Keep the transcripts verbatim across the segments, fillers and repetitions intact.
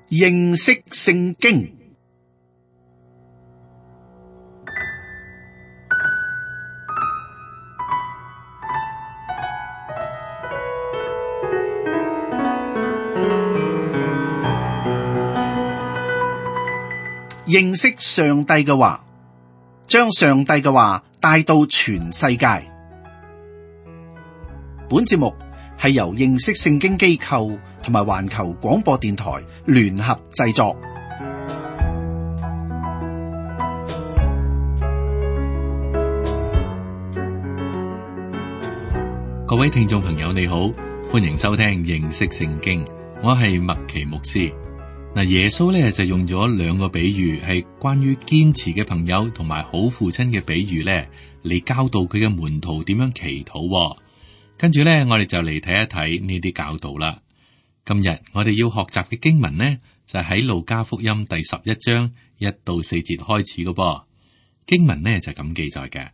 認識聖經。認識上帝嘅話，將上帝嘅話帶到全世界。本節目係由認識聖經機構同埋環球廣播電台聯合製作。各位聽眾朋友你好，歡迎收聽認識聖經，我係麥奇牧師。嗱，耶穌咧就用咗兩個比喻，係關於堅持嘅朋友同埋好父親嘅比喻咧，嚟教導佢嘅門徒點樣祈禱。跟住咧，我哋就嚟睇一睇呢啲教導啦。今日我哋要學習嘅經文呢，就喺路加福音第十一章一到四節開始嘅噃。經文呢就咁記載嘅：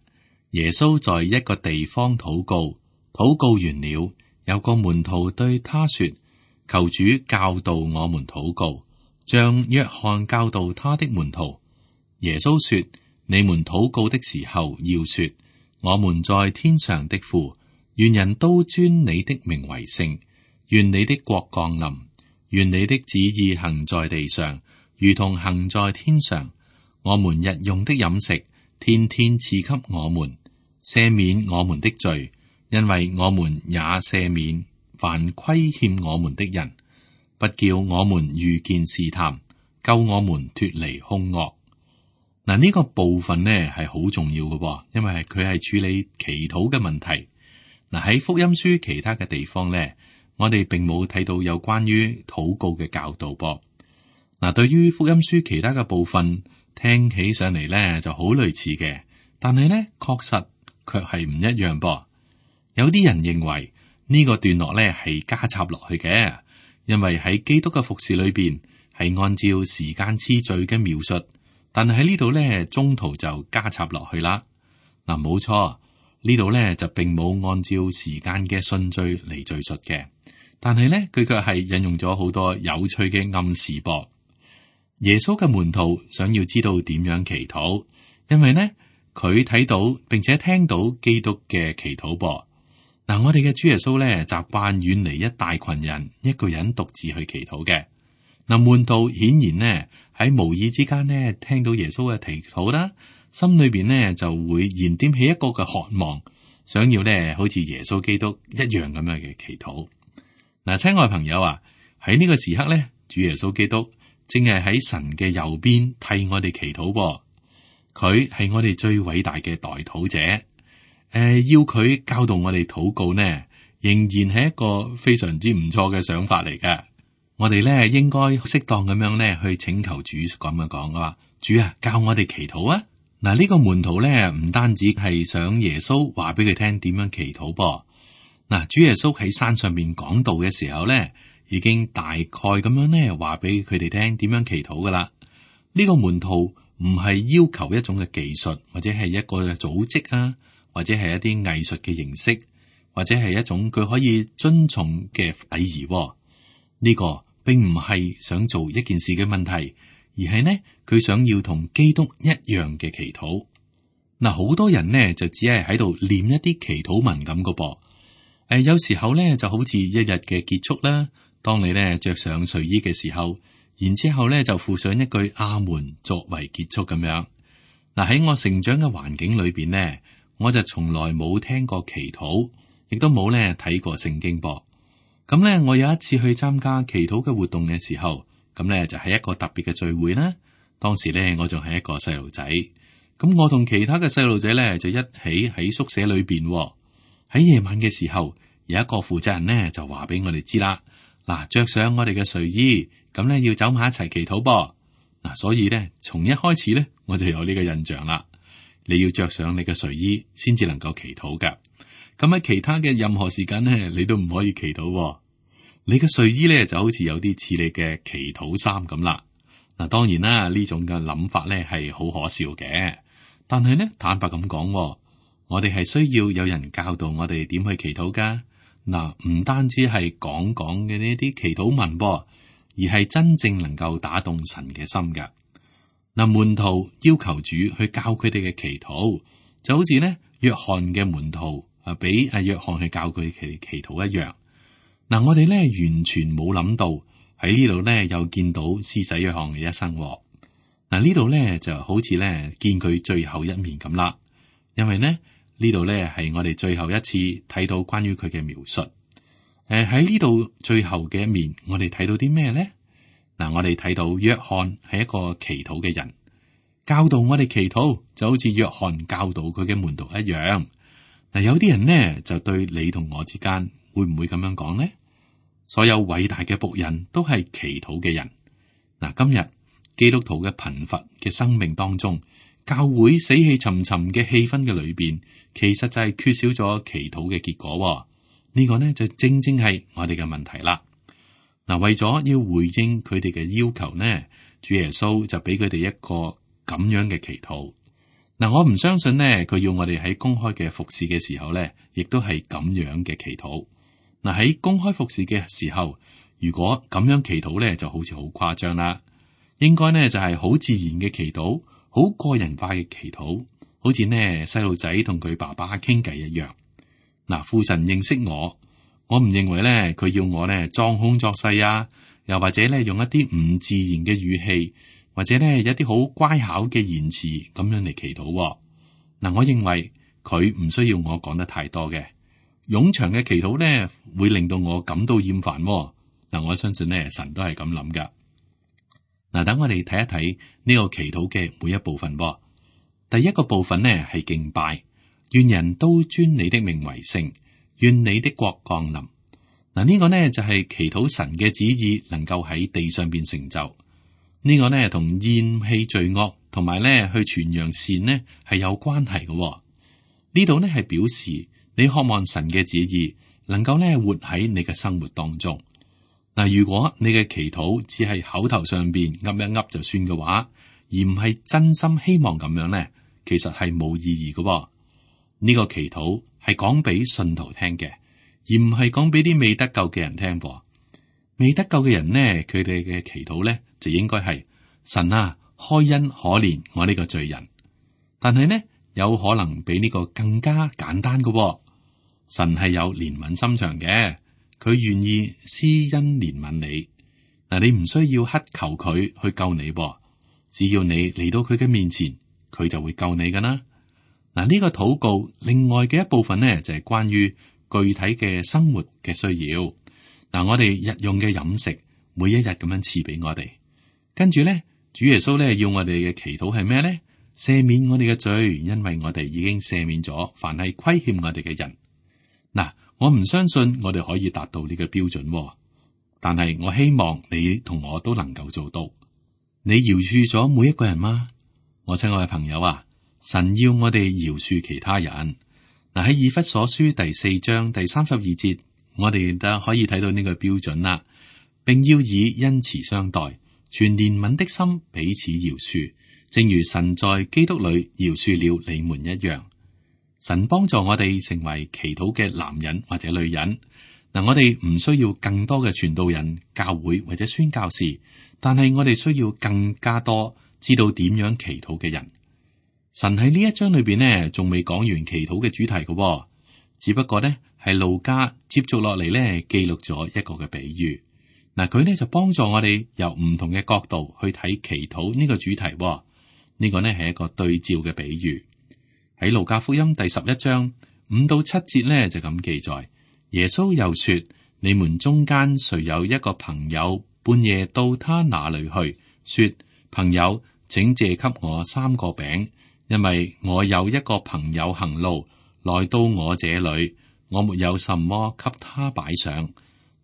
耶穌在一個地方禱告，禱告完了，有個門徒對他說：求主教導我們禱告，像約翰教導他的門徒。耶穌說：你們禱告的時候，要說：我們在天上的父，願人都尊你的名為聖，願你的國降臨，願你的旨意行在地上，如同行在天上。我們日用的飲食，天天賜給我們，赦免我們的罪，因為我們也赦免凡虧欠我們的人，不叫我們遇見試探，救我們脫離兇惡。嗱，呢個部分呢係好重要嘅，因為佢係處理祈禱嘅問題。嗱，喺福音書其他嘅地方咧，我哋並冇睇到有關於禱告嘅教導噃。嗱，對於福音書其他嘅部分，聽起上嚟咧就好類似嘅，但係咧確實卻係唔一樣噃。有啲人認為呢個段落咧係加插落去嘅，因為喺基督嘅服侍裏邊係按照時間次序嘅描述，但係喺呢度咧中途就加插落去啦。嗱，冇錯。呢度咧就並冇按照時間嘅順序嚟敘述嘅，但係咧佢卻係引用咗好多有趣嘅暗示噃。耶穌嘅門徒想要知道點樣祈禱，因為呢，佢睇到並且聽到基督嘅祈禱噃。嗱，我哋嘅主耶穌咧習慣遠離一大群人，一個人獨自去祈禱嘅。嗱，門徒顯然呢喺無意之間呢聽到耶穌嘅祈禱啦。心裏邊呢就會燃點起一個嘅渴望，想要呢好似耶穌基督一樣咁樣嘅祈禱。嗱，親愛朋友啊，喺呢個時刻呢，主耶穌基督正係喺神嘅右邊替我哋祈禱噃。佢係我哋最偉大嘅代禱者。誒、呃，要佢教導我哋禱告呢，仍然係一個非常之唔錯嘅想法嚟嘅。我哋呢應該適當咁樣呢去請求主咁樣講啊，主啊，教我哋祈禱啊！嗱，呢個門徒咧唔單止係想耶穌話俾佢聽點樣祈禱噃。嗱，主耶穌喺山上面講道嘅時候咧，已經大概咁樣咧話俾佢哋聽點樣祈禱噶啦。呢個門徒唔係要求一種嘅技術，或者係一個組織啊，或者係一啲藝術嘅形式，或者係一種佢可以遵從嘅禮儀。呢個並唔係想做一件事嘅問題。而係呢，佢想要同基督一樣嘅祈禱。嗱，好多人呢就只係喺度念一啲祈禱文咁嘅噃。誒，有時候呢就好似一日嘅結束啦。當你呢着上睡衣嘅時候，然之後呢就附上一句阿門作為結束咁樣。嗱，喺我成長嘅環境裏邊呢，我就從來冇聽過祈禱，亦都冇呢睇過聖經噃。咁呢，我有一次去參加祈禱嘅活動嘅時候。咁咧就係一個特別嘅聚會啦。當時咧我仲係一個細路仔，咁我同其他嘅細路仔咧就一起喺宿舍裏邊。喺夜晚嘅時候，有一個負責人咧就話俾我哋知啦。嗱，着上我哋嘅睡衣，咁咧要走埋一齊祈禱噃。嗱，所以咧從一開始咧我就有呢個印象啦。你要着上你嘅睡衣先至能夠祈禱噶。咁喺其他嘅任何時間咧，你都唔可以祈禱。你嘅睡衣咧就好似有啲似你嘅祈禱衫咁啦。嗱，當然啦，呢種嘅諗法咧係好可笑嘅。但係咧，坦白咁講，我哋係需要有人教導我哋點去祈禱噶。嗱，唔單止係講講嘅呢啲祈禱文噃，而係真正能夠打動神嘅心嘅。嗱，門徒要求主去教佢哋嘅祈禱，就好似呢約翰嘅門徒啊，俾阿約翰去教佢祈祈禱一樣。嗱，我哋咧完全冇諗到喺呢度咧又見到施洗約翰嘅一生。嗱，呢度咧就好似咧見佢最後一面咁啦，因為呢呢度咧係我哋最後一次睇到關於佢嘅描述。誒，喺呢度最後嘅一面，我哋睇到啲咩咧？嗱，我哋睇到約翰係一個祈禱嘅人，教導我哋祈禱，就好似約翰教導佢嘅門徒一樣。嗱，有啲人呢就對你同我之間會唔會咁樣講呢？所有偉大嘅僕人都係祈禱嘅人。嗱，今日基督徒嘅貧乏嘅生命當中，教會死氣沉沉嘅氣氛嘅裏邊，其實就係缺少咗祈禱嘅結果。呢個呢就正正係我哋嘅問題啦。嗱，為咗要回應佢哋嘅要求呢，主耶穌就俾佢哋一個咁樣嘅祈禱。嗱，我唔相信呢，佢要我哋喺公開嘅服侍嘅時候呢，亦都係咁樣嘅祈禱。嗱，喺公開服侍嘅時候，如果咁樣祈禱呢，就好似好誇張啦。應該呢就係好自然嘅祈禱，好個人化嘅祈禱，好似呢細路仔同佢爸爸傾偈一樣。嗱，父神認識我，我唔認為咧佢要我咧裝腔作勢啊，又或者咧用一啲唔自然嘅語氣，或者咧有啲好乖巧嘅言辭咁樣嚟祈禱。嗱，我認為佢唔需要我講得太多嘅，冗長嘅祈禱咧會令到我感到厭煩。嗱，我相信咧神都係咁諗噶。嗱，等我哋睇一睇呢個祈禱嘅每一部分。第一個部分呢係敬拜。願人都尊你的名為聖，願你的國降臨。嗱，呢個呢就係祈禱神嘅旨意能夠喺地上邊成就。呢個呢同厭棄罪惡同埋呢去傳揚善呢係有關係嘅。呢度呢係表示你渴望神嘅旨意能夠呢活喺你嘅生活當中。嗱，如果你嘅祈禱只係口頭上邊噏一噏就算嘅話，而唔係真心希望咁樣呢，其實係冇意義嘅。呢個祈禱係講俾信徒聽嘅，而唔係講俾啲未得救嘅人聽噃。未得救嘅人呢，佢哋嘅祈禱呢就應該係神啊，開恩可憐我呢個罪人。但係呢，有可能比呢個更加簡單嘅。神係有憐憫心腸嘅，佢願意施恩憐憫你。嗱，你唔需要乞求佢去救你噃，只要你嚟到佢嘅面前，佢就會救你噶啦。嗱，呢個禱告另外嘅一部分呢，就係關於具體嘅生活嘅需要。嗱，我哋日用嘅飲食，每一日咁樣賜俾我哋。跟住呢，主耶穌呢要我哋嘅祈禱係咩呢？赦免我哋嘅罪，因為我哋已經赦免咗凡係虧欠我哋嘅人。嗱，我唔相信我哋可以達到呢個標準，但係我希望你同我都能夠做到。你饒恕咗每一個人嗎？我親愛嘅朋友啊！神要我哋饒恕其他人。嗱，喺以弗所書第四章第三十二節，我哋都可以睇到呢個標準啦，並要以恩慈相待，全憐憫的心彼此饒恕，正如神在基督裏饒恕了你們一樣。神幫助我哋成為祈禱嘅男人或者女人。嗱，我哋唔需要更多嘅傳道人、教會或者宣教士，但係我哋需要更加多知道點樣祈禱嘅人。神喺呢一章裏邊呢，仲未講完祈禱嘅主題嘅，只不過呢係路加接續落嚟呢記錄咗一個嘅比喻。嗱，佢呢就幫助我哋由唔同嘅角度去睇祈禱呢個主題。呢個呢係一個對照嘅比喻。喺路加福音第十一章五到七節呢就咁記載。耶穌又說：你們中間誰有一個朋友半夜到他那裏去，說：朋友，請借給我三個餅。因為我有一個朋友行路來到我這裏，我沒有什麼給他擺上。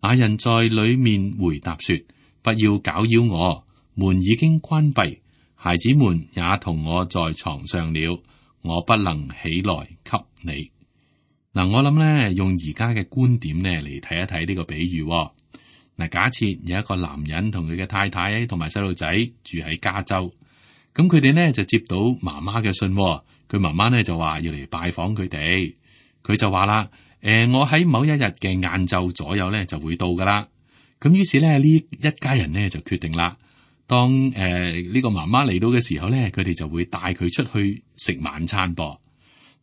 那人在裏面回答說：不要攪擾我，門已經關閉，孩子們也同我在床上了，我不能起來給你。嗱，我諗咧用而家嘅觀點咧嚟睇一睇呢個比喻。嗱，假設有一個男人同佢嘅太太同埋細路仔住喺加州。咁佢哋呢就接到媽媽嘅信，佢媽媽呢就話要嚟拜訪佢哋，佢就話啦：誒、呃，我喺某一日嘅晏晝左右呢就會到噶啦。咁於是咧呢一家人咧就決定啦，當誒呢、呃這個媽媽嚟到嘅時候咧，佢哋就會帶佢出去食晚餐噃。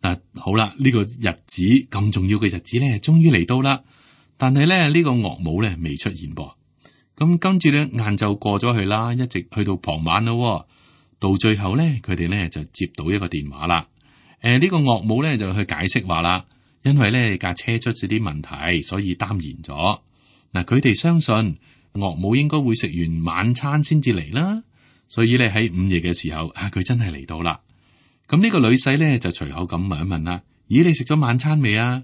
嗱、啊，好啦，呢、這個日子咁重要嘅日子咧，終於嚟到啦。但係咧呢、這個岳母咧未出現噃。咁跟住咧晏晝過咗去啦，一直去到傍晚咯。到最後咧，佢哋咧就接到一個電話啦。誒、呃，呢、這個岳母咧就去解釋話啦，因為咧架車出咗啲問題，所以耽延咗。嗱，佢哋相信岳母應該會食完晚餐先至嚟啦，所以咧喺午夜嘅時候啊，佢真係嚟到啦。咁呢個女婿咧就隨口咁問一問啦：咦，你食咗晚餐未啊？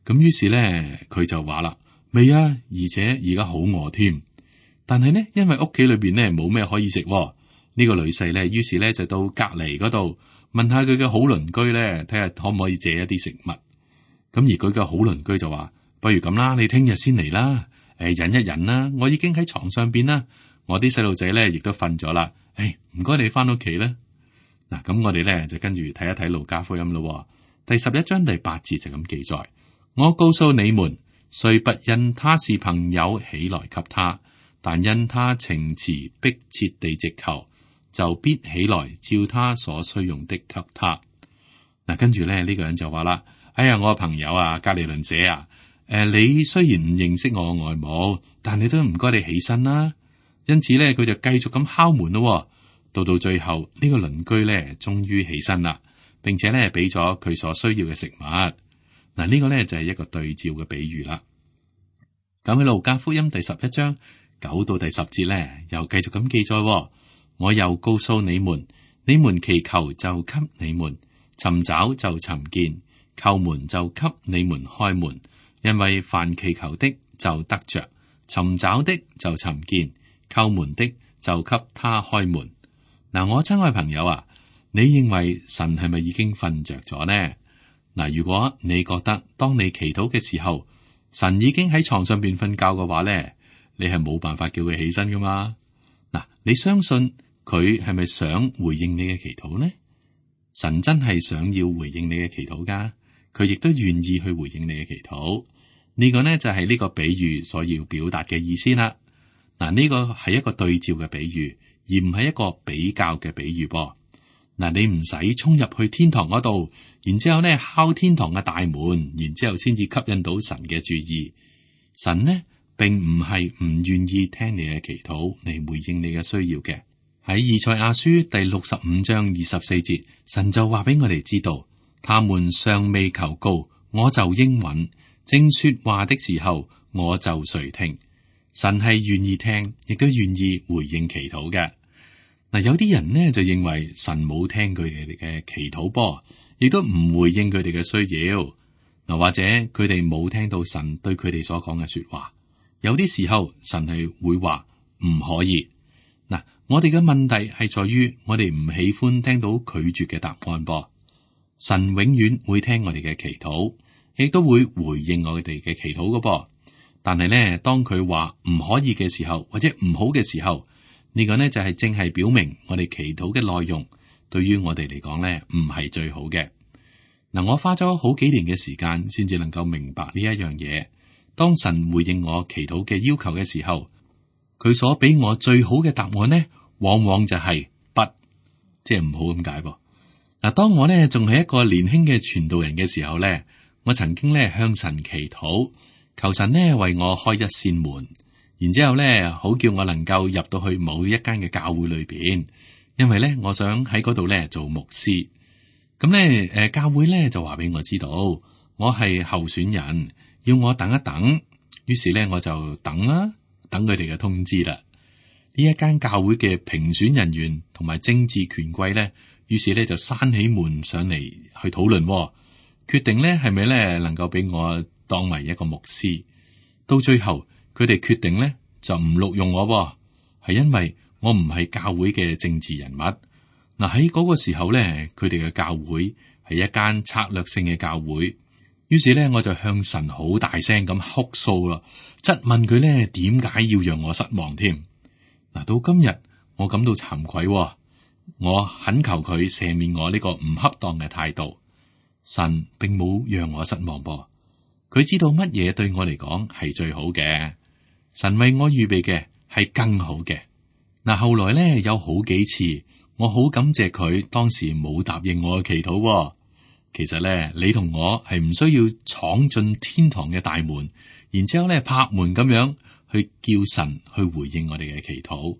咁於是咧佢就話啦：未啊，而且而家好餓添。但係呢，因為屋企裏邊咧冇咩可以食，呢、呢個女婿咧，於是咧就到隔籬嗰度問下佢嘅好鄰居咧，睇下可唔可以借一啲食物。咁而佢嘅好鄰居就話：不如咁啦，你聽日先嚟啦。誒，忍一忍啦，我已經喺床上邊啦，我啲細路仔咧亦都瞓咗啦。誒，唔該你翻屋企啦。嗱，咁我哋咧就跟住睇一睇路加福音咯。第十一章第八節就咁記載：我告訴你們，雖不因他是朋友起來給他，但因他情詞迫切地直求，就必起來照他所需用的給他。嗱，跟住咧呢、這個人就話啦：哎呀，我朋友啊，隔籬鄰舍啊。誒、呃，你雖然唔認識我外母，但你都唔該你起身啦。因此咧，佢就繼續咁敲門咯。到到最後，呢、這個鄰居咧，終於起身啦，並且咧俾咗佢所需要嘅食物。嗱，呢個咧就係一個對照嘅比喻啦。咁喺路加福音第十一章九到第十節咧，又繼續咁記載：我又告訴你們，你們祈求就給你們，尋找就尋見，叩門就給你們開門。因為凡祈求的就得着，尋找的就尋見，叩門的就給他開門。嗱，我親愛朋友啊，你認為神係咪已經瞓着咗呢？嗱，如果你覺得當你祈禱嘅時候，神已經喺床上邊瞓覺嘅話咧，你係冇辦法叫佢起身噶嘛？嗱，你相信佢係咪想回應你嘅祈禱呢？神真係想要回應你嘅祈禱噶。佢亦都願意去回應你嘅祈禱，呢個呢就係呢個比喻所要表達嘅意思啦。嗱，呢個係一個對照嘅比喻，而唔係一個比較嘅比喻噃。嗱，你唔使衝入去天堂嗰度，然之後呢敲天堂嘅大門，然之後先至吸引到神嘅注意。神呢並唔係唔願意聽你嘅祈禱嚟回應你嘅需要嘅。喺以賽亞書第六十五章二十四節，神就話俾我哋知道。他們尚未求告，我就應允；正說話的時候，我就垂聽。神係願意聽，亦都願意回應祈禱嘅。嗱，有啲人呢就認為神冇聽佢哋嘅祈禱噃，亦都唔回應佢哋嘅需要。嗱，或者佢哋冇聽到神對佢哋所講嘅說話。有啲時候神係會話唔可以。嗱，我哋嘅問題係在於我哋唔喜歡聽到拒絕嘅答案噃。神永遠會聽我哋嘅祈禱，亦都會回應我哋嘅祈禱㗎噃。但係咧，當佢話唔可以嘅時候，或者唔好嘅時候，呢個呢就係正係表明我哋祈禱嘅內容，對於我哋嚟講咧唔係最好嘅。嗱，我花咗好幾年嘅時間，先至能夠明白呢一樣嘢。當神回應我祈禱嘅要求嘅時候，佢所俾我最好嘅答案呢，往往就係不，即係唔好咁解噃。嗱，當我咧仲係一個年輕嘅傳道人嘅時候咧，我曾經咧向神祈禱，求神咧為我開一扇門，然之後咧好叫我能夠入到去某一間嘅教會裏邊，因為咧我想喺嗰度咧做牧師。咁咧誒，教會咧就話俾我知道，我係候選人，要我等一等。於是咧我就等啦，等佢哋嘅通知啦。呢一間教會嘅評選人員同埋政治權貴咧。於是咧就閂起門上嚟去討論，決定咧係咪咧能夠俾我當為一個牧師。到最後佢哋決定咧就唔錄用我，係因為我唔係教會嘅政治人物。嗱，喺嗰個時候咧，佢哋嘅教會係一間策略性嘅教會。於是咧我就向神好大聲咁哭訴啦，質問佢咧點解要讓我失望添。嗱，到今日我感到慚愧。我懇求佢赦免我呢個唔恰當嘅態度，神並冇讓我失望噃，佢知道乜嘢對我嚟講係最好嘅。神為我預備嘅係更好嘅。嗱，後來咧有好幾次，我好感謝佢當時冇答應我嘅祈禱喎。其實咧，你同我係唔需要闖進天堂嘅大門，然之後咧拍門咁樣去叫神去回應我哋嘅祈禱。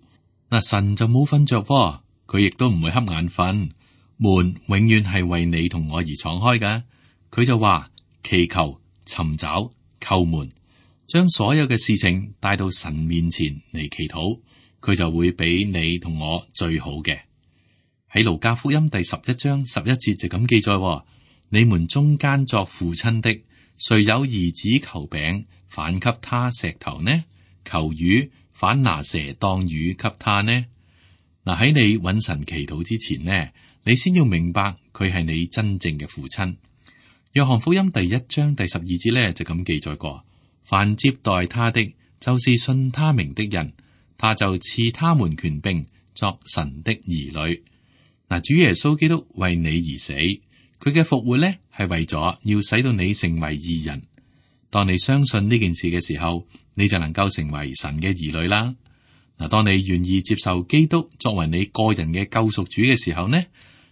嗱，神就冇瞓着喎，佢亦都唔會瞌眼瞓。門永遠係為你同我而敞開㗎。佢就話祈求、尋找、叩門，將所有嘅事情帶到神面前嚟祈禱，佢就會俾你同我最好嘅。喺路加福音第十一章十一節就咁記載喎。你們中間作父親的，誰有兒子求餅，反給他石頭呢？求魚，反拿蛇當魚給他呢？嗱，喺你揾神祈禱之前呢，你先要明白佢係你真正嘅父親。約翰福音第一章第十二節呢，就咁記載過：凡接待他的，就是信他名的人，他就賜他們權柄作神的兒女。嗱，主耶穌基督為你而死。佢嘅復活咧，係為咗要使到你成為義人。當你相信呢件事嘅時候，你就能夠成為神嘅兒女啦。嗱，當你願意接受基督作為你個人嘅救贖主嘅時候呢，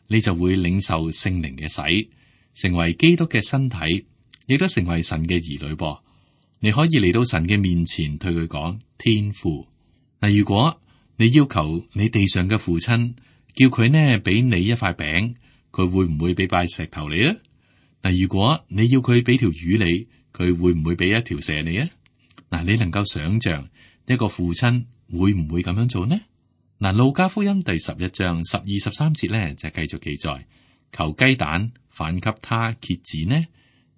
你就會領受聖靈嘅洗，成為基督嘅身體，亦都成為神嘅兒女噃。你可以嚟到神嘅面前，對佢講天父。嗱，如果你要求你地上嘅父親叫佢呢俾你一塊餅，佢會唔會俾塊石頭你啊？嗱，如果你要佢俾條魚你，佢會唔會俾一條蛇你啊？嗱，你能夠想象一個父親會唔會咁樣做呢？嗱，路加福音第十一章十二十三節咧就繼續記載：求雞蛋，反給他蠍子呢？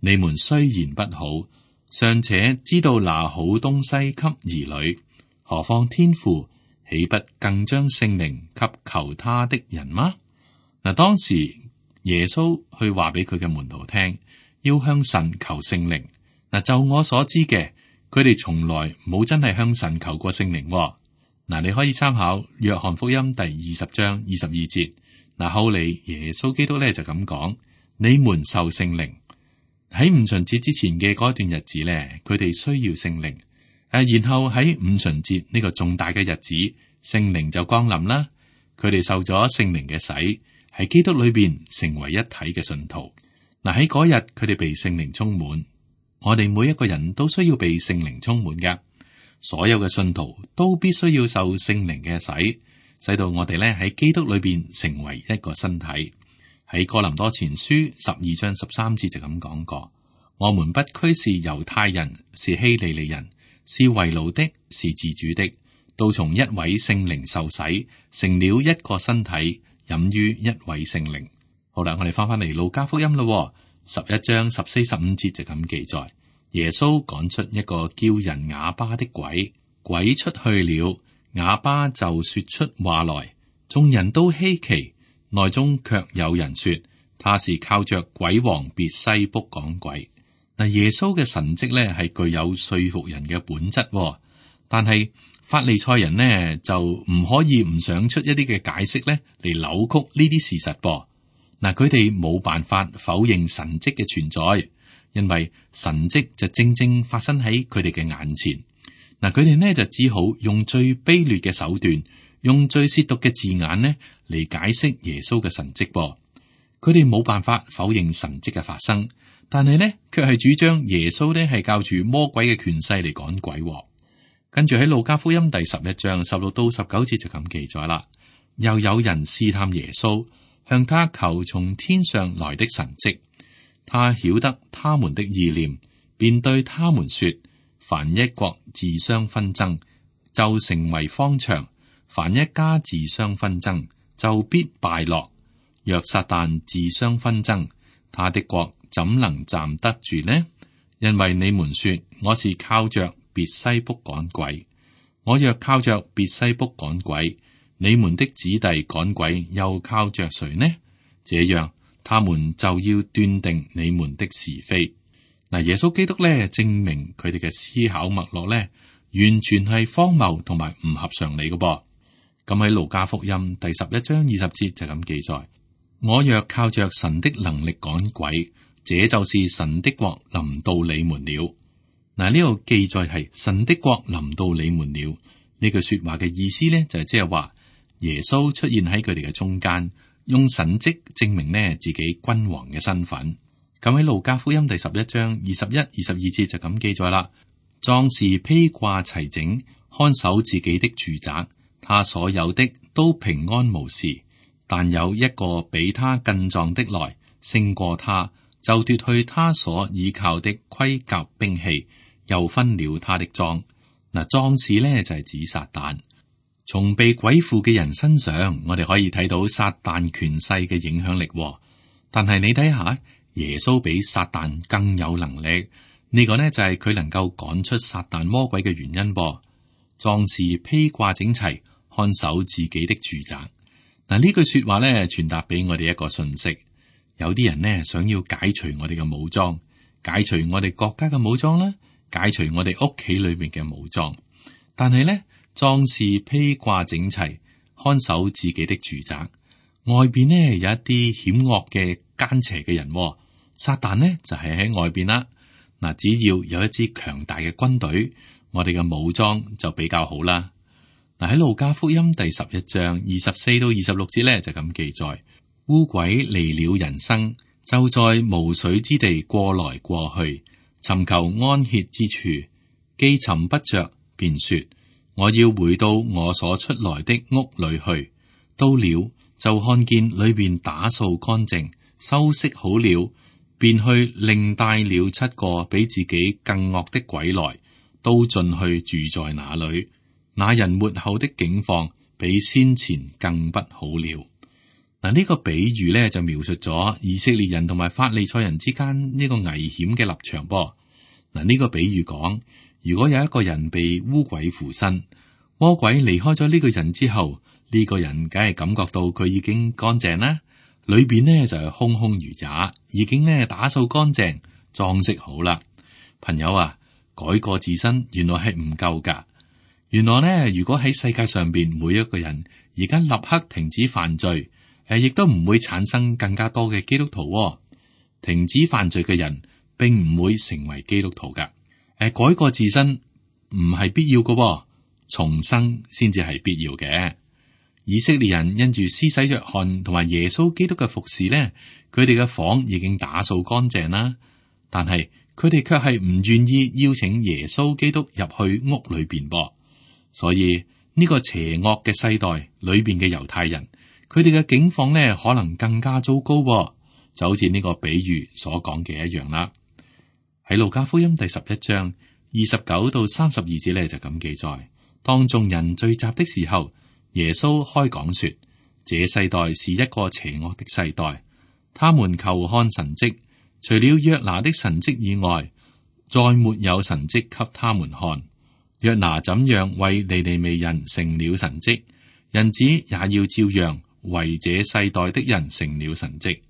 你們雖然不好，尚且知道拿好東西給兒女，何況天父豈不更將聖靈給求他的人嗎？嗱，當時耶穌去話俾佢嘅門徒聽，要向神求聖靈。嗱，就我所知嘅，佢哋從來冇真係向神求過聖靈。嗱，你可以參考約翰福音第二十章二十二節。嗱，後嚟耶穌基督咧就咁講：你們受聖靈。喺五旬節之前嘅嗰段日子咧，佢哋需要聖靈。誒，然後喺五旬節呢個重大嘅日子，聖靈就降臨啦。佢哋受咗聖靈嘅洗。喺基督裏邊成為一體嘅信徒。嗱，喺嗰日佢哋被聖靈充滿，我哋每一個人都需要被聖靈充滿嘅。所有嘅信徒都必須要受聖靈嘅洗，使到我哋咧喺基督裏邊成為一個身體。喺哥林多前書十二章十三節就咁講過：我們不拘是猶太人，是希利尼人，是為奴的，是自主的，都從一位聖靈受洗，成了一個身體，飲於一位聖靈。好啦，我哋翻翻嚟路加福音咯，十一章十四十五節就咁記載：耶穌趕出一個叫人啞巴的鬼，鬼出去了，啞巴就說出話來，眾人都稀奇，內中卻有人說他是靠着鬼王別西卜趕鬼。嗱，耶穌嘅神蹟咧係具有說服人嘅本質，但係法利賽人呢就唔可以唔想出一啲嘅解釋咧嚟扭曲呢啲事實噃。嗱，佢哋冇辦法否認神蹟嘅存在，因為神蹟就正正發生喺佢哋嘅眼前。嗱，佢哋呢就只好用最卑劣嘅手段，用最褻瀆嘅字眼呢嚟解釋耶穌嘅神蹟噃。佢哋冇辦法否認神蹟嘅發生，但係呢卻係主張耶穌呢係靠住魔鬼嘅權勢嚟趕鬼。跟住喺路加福音第十一章十六到十九節就咁記載啦。又有人試探耶穌，向他求從天上來的神蹟。他曉得他們的意念，便對他們說：凡一國自相紛爭，就成為荒場；凡一家自相紛爭，就必敗落。若撒旦自相紛爭，他的國怎能站得住呢？因為你們說我是靠着別西卜趕鬼，我若靠着別西卜趕鬼，你們的子弟趕鬼又靠着誰呢？這樣，他們就要斷定你們的是非。嗱，耶穌基督咧證明佢哋嘅思考脈絡咧，完全係荒謬同埋唔合常理嘅噃。咁喺路加福音第十一章二十節就咁記載：我若靠着神的能力趕鬼，這就是神的國臨到你們了。嗱，呢個記載係神的國臨到你們了。呢句說話嘅意思呢，就係即係話耶穌出現喺佢哋嘅中間，用神蹟證明呢自己君王嘅身份。咁喺路加福音第十一章二十一、二十二節就咁記載啦。壯士披掛齊整，看守自己的住宅，他所有的都平安無事。但有一個比他更壯的來，勝過他，就奪去他所倚靠的盔甲兵器，又分了他的贓。嗱，壯士呢就係指撒旦。從被鬼附嘅人身上，我哋可以睇到撒旦權勢嘅影響力。但係你睇下，耶穌比撒旦更有能力。呢個呢就係佢能夠趕出撒旦魔鬼嘅原因噃。壯士披掛整齊，看守自己的住宅。嗱，呢句說話呢傳達俾我哋一個信息。有啲人呢想要解除我哋嘅武裝，解除我哋國家嘅武裝啦，解除我哋屋企裏面嘅武裝。但係呢，壯士披掛整齊，看守自己的住宅。外邊呢有一啲險惡嘅奸邪嘅人，撒旦呢就係喺外邊啦。嗱，只要有一支強大嘅軍隊，我哋嘅武裝就比較好啦。嗱，喺路加福音第十一章二十四到二十六節咧就咁記載：污鬼離了人生，就在無水之地過來過去，尋求安歇之處，既尋不着，便說：我要回到我所出來的屋裏去。到了，就看見裏邊打掃乾淨，收拾好了，便去另帶了七個比自己更惡的鬼來，都進去住在那裏。那人末後的境況比先前更不好了。嗱，呢個比喻咧就描述咗以色列人同埋法利賽人之間呢個危險嘅立場噃。嗱，呢個比喻講，如果有一個人被污鬼附身，魔鬼離開咗呢個人之後，呢個人梗係感覺到佢已經乾淨啦，裏邊呢就係空空如也，已經呢打掃乾淨，裝飾好啦。朋友啊，改過自新原來係唔夠噶。原來呢，如果喺世界上邊每一個人而家立刻停止犯罪，誒，亦都唔會產生更加多嘅基督徒喎。停止犯罪嘅人，並唔會成為基督徒噶。誒，改過自新唔係必要噶喎，重生先至係必要嘅。以色列人因住施洗約翰同埋耶穌基督嘅服侍呢，佢哋嘅房已經打掃乾淨啦，但係佢哋卻係唔願意邀請耶穌基督入去屋裏邊噃。所以呢個邪惡嘅世代裏邊嘅猶太人，佢哋嘅境況呢可能更加糟糕喎，就好似呢個比喻所講嘅一樣啦。喺路加福音第十一章二十九到三十二節呢，就咁記載：當眾人聚集的時候，耶穌開講說：這世代是一個邪惡的世代，他們求看神蹟，除了約拿的神蹟以外，再沒有神蹟給他們看。約拿怎樣為尼尼微人成了神蹟，人子也要照樣為這世代的人成了神蹟。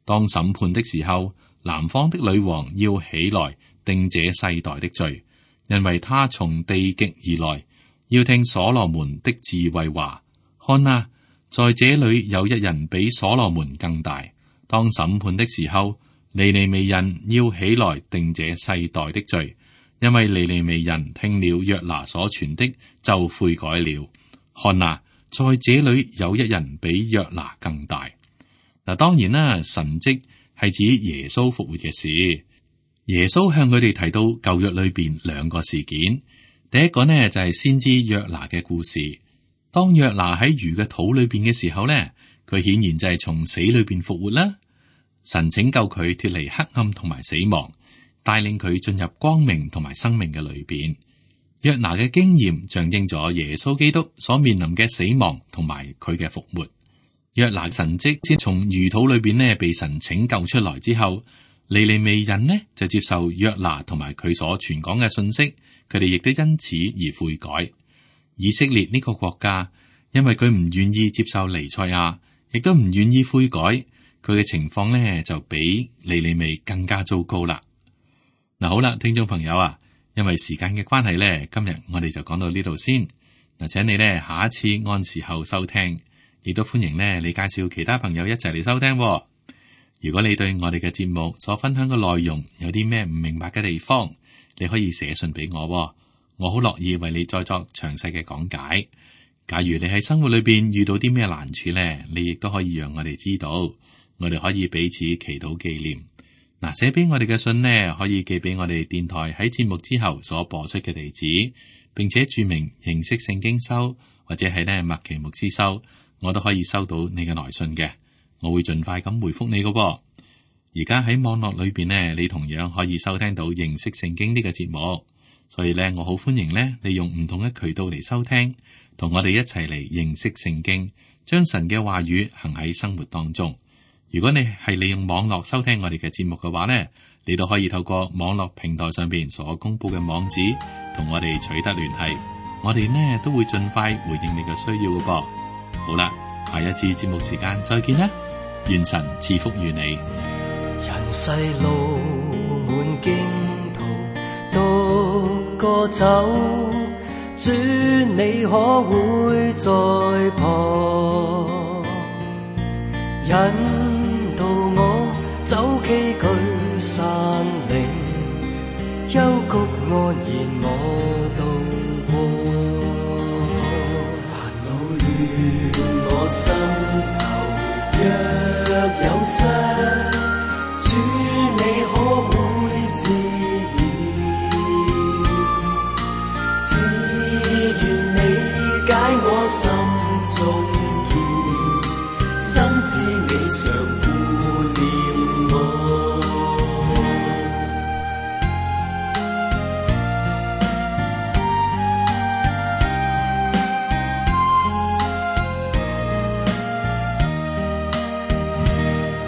當審判的時候，南方的女王要起來定這世代的罪，因為他從地極而來，要聽所羅門的智慧話。看啊，在這裏有一人比所羅門更大。當審判的時候，尼尼微人要起來定這世代的罪，因為尼尼微人聽了約拿所傳的就悔改了。看啊，在這裏有一人比約拿更大。嗱，當然啦，神蹟係指耶穌復活嘅事。耶穌向佢哋提到舊約裏邊兩個事件。第一個呢就係先知約拿嘅故事。當約拿喺魚嘅肚裏邊嘅時候呢，佢顯然就係從死裏邊復活啦。神拯救佢脫離黑暗同埋死亡，帶領佢進入光明同埋生命嘅裏邊。約拿嘅經驗象徵咗耶穌基督所面臨嘅死亡同埋佢嘅復活。約拿神蹟先從魚肚裏邊呢被神拯救出來之後，尼尼微人呢就接受約拿同埋佢所傳講嘅信息，佢哋亦都因此而悔改。以色列呢個國家，因為佢唔願意接受彌賽亞，亦都唔願意悔改，佢嘅情況呢就比尼尼微更加糟糕啦。嗱，好啦，聽眾朋友啊，因為時間嘅關係呢，今日我哋就講到呢度先。嗱，請你呢下一次按時候收聽，亦都歡迎呢你介紹其他朋友一齊嚟收聽。如果你對我哋嘅節目所分享嘅內容有啲咩唔明白嘅地方，你可以寫信俾我喎，我好樂意為你再作詳細嘅講解。假如你喺生活裏邊遇到啲咩難處呢，你亦都可以讓我哋知道，我哋可以彼此祈禱紀念。嗱，寫俾我哋嘅信呢，可以寄俾我哋電台喺節目之後所播出嘅地址，並且注明認識聖經收，或者係呢麥奇牧師收，我都可以收到你嘅來信嘅，我會盡快咁回覆你嘅喎。而家喺網絡裏邊呢，你同樣可以收聽到認識聖經呢個節目，所以呢，我好歡迎呢，你用唔同嘅渠道嚟收聽，同我哋一齊嚟認識聖經，將神嘅話語行喺生活當中。如果你係利用網絡收聽我哋嘅節目嘅話呢，你都可以透過網絡平台上邊所公布嘅網址，同我哋取得聯繫。我哋呢都會盡快回應你嘅需要嘅噃。好啦，下一次節目時間再見啦，願神賜福於你。人世路滿驚途，獨個走，主你可會在旁引導我走崎嶇山嶺，幽谷安然我渡過。煩惱亂我心頭，若有失，主你可會治癒？只願你解我心中結，深知你常顧念我。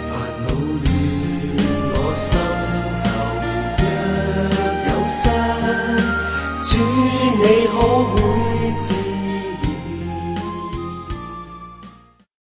煩惱亂我心